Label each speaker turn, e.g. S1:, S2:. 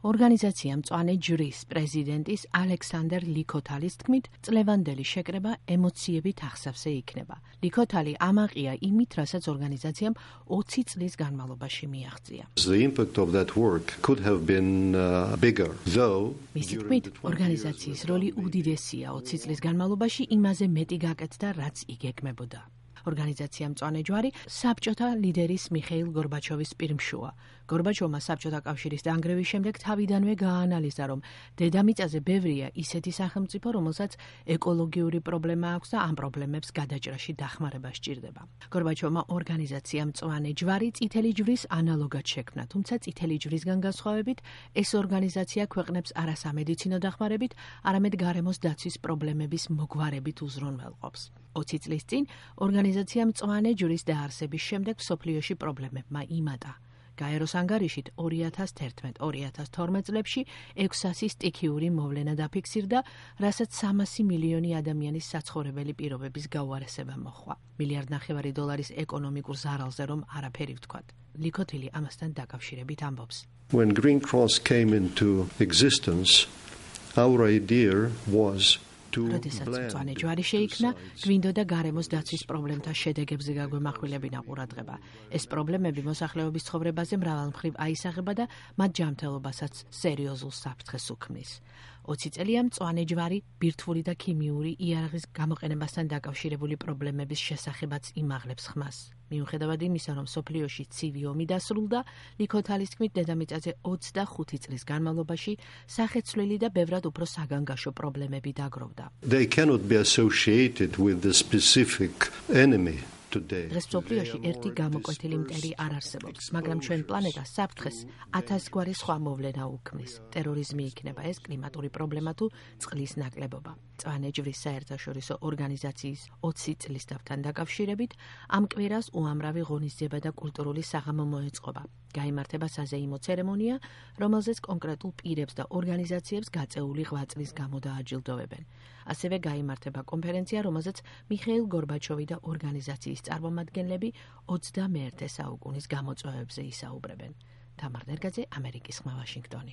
S1: ორგანიზაცია მწვანე ჯვრის პრეზიდენტის ალექსანდერ ლიქოთალის თქმით, წლევანდელი შეკრება ემოციებით აღსავსე იქნება. ლიქოთალი ამაყია იმით, რასაც ორგანიზაციამ 20 წლის განმავლობაში მიაღწია. მისი თქმით, ორგანიზაციის როლი უდიდესია 20 წლის განმავლობაში იმაზე მეტი გაკეთდა, რაც იგეგმებოდა. ორგანიზაცია მწვანე ჯვარი საბჭოთა ლიდერის მიხეილ გორბაჩოვის პირმშოა. გორბაჩოვმა საბჭოთა კავშირის დანგრევის შემდეგ თავიდანვე გააანალიზა, რომ დედამიწაზე ბევრია ისეთი სახელმწიფო, რომელსაც ეკოლოგიური პრობლემა აქვს და ამ პრობლემებს გადაჭრაში დახმარება სჭირდება. გორბაჩოვმა ორგანიზაცია მწვანე ჯვარი წითელი ჯვრის ანალოგად შექმნა, თუმცა წითელი ჯვრისგან განსხვავებით, ეს ორგანიზაცია ქვეყნებს არა სამედიცინო დახმარებით, არამედ გარემოს დაცვის პრობლემების მოგვარებით უზრუნველყოფს. 20 წლის წინ ორგანიზაცია მწვანე ჯვრის დაარსების შემდეგ მსოფლიოში პრობლემებმა იმატა. გაეროს ანგარიშით 2011-2012 წლებში 600 სტიქიური მოვლენა დაფიქსირდა, რასაც 300 მილიონი ადამიანის საცხოვრებელი პირობების გაუარესება მოჰყვა. $1.5 მილიარდის ეკონომიკურ ზარალზე რომ არაფერი ვთქვათ. ლიქოთილი ამასთან დაკავშირებით ამბობს.
S2: When Green Cross came into existence, our idea was
S1: როდესაც მწვანე ჯვარი შეიქმნა, გვინდოდა გარემოს დაცვის პრობლემთა შედეგებზე გაგვემახვილებინა ყურადღება. ეს პრობლემები მოსახლეობის ცხოვრებაზე მრავალმხრივ აისახება და მათ ჯანმრთელობასაც სერიოზულ საფრთხეს უქმნის. 20 წელია მწვანე ჯვარი ბირთვული და ქიმიური იარაღის გამოყენებასთან დაკავშირებული პრობლემების შესახებაც იმაღლებს ხმას. მიუხედავად იმისა, რომ მსოფლიოში ცივი ომი დასრულდა, ლიქოთალის თქმით, დედამიწაზე 25 წლის განმავლობაში სახეცვლილი და ბევრად უფრო საგანგაშო პრობლემები დაგროვდა.
S2: They cannot be associated with the specific enemy.
S1: დღეს მსოფლიოში ერთი გამოკვეთილი მტერი არ არსებობს, მაგრამ ჩვენ პლანეტას საფრთხეს 1000 გვარი სხვა მოვლენა უქმნის. ტერორიზმი იქნება ეს, კლიმატური პრობლემა თუ წყლის ნაკლებობა. მწვანე ჯვრის საერთაშორისო ორგანიზაციის 20 წლის დავთან დაკავშირებით ამ კვირას უამრავი ღონისძიება და კულტურული საღამო მოეწყობა. გაიმართება საზეიმო ცერემონია, რომელზეც კონკრეტულ პირებს და ორგანიზაციებს გაწეული 8 წლის გამო დააჯილდოვებენ. ასევე გაიმართება კონფერენცია, რომელზეც მიხეილ გორბაჩოვი და ორგანიზაციის წარმომადგენლები 21 საუკუნის გამოწვევებზე ისაუბრებენ. თამარ ნერგაძე, ამერიკის ხმა, ვაშინგტონი.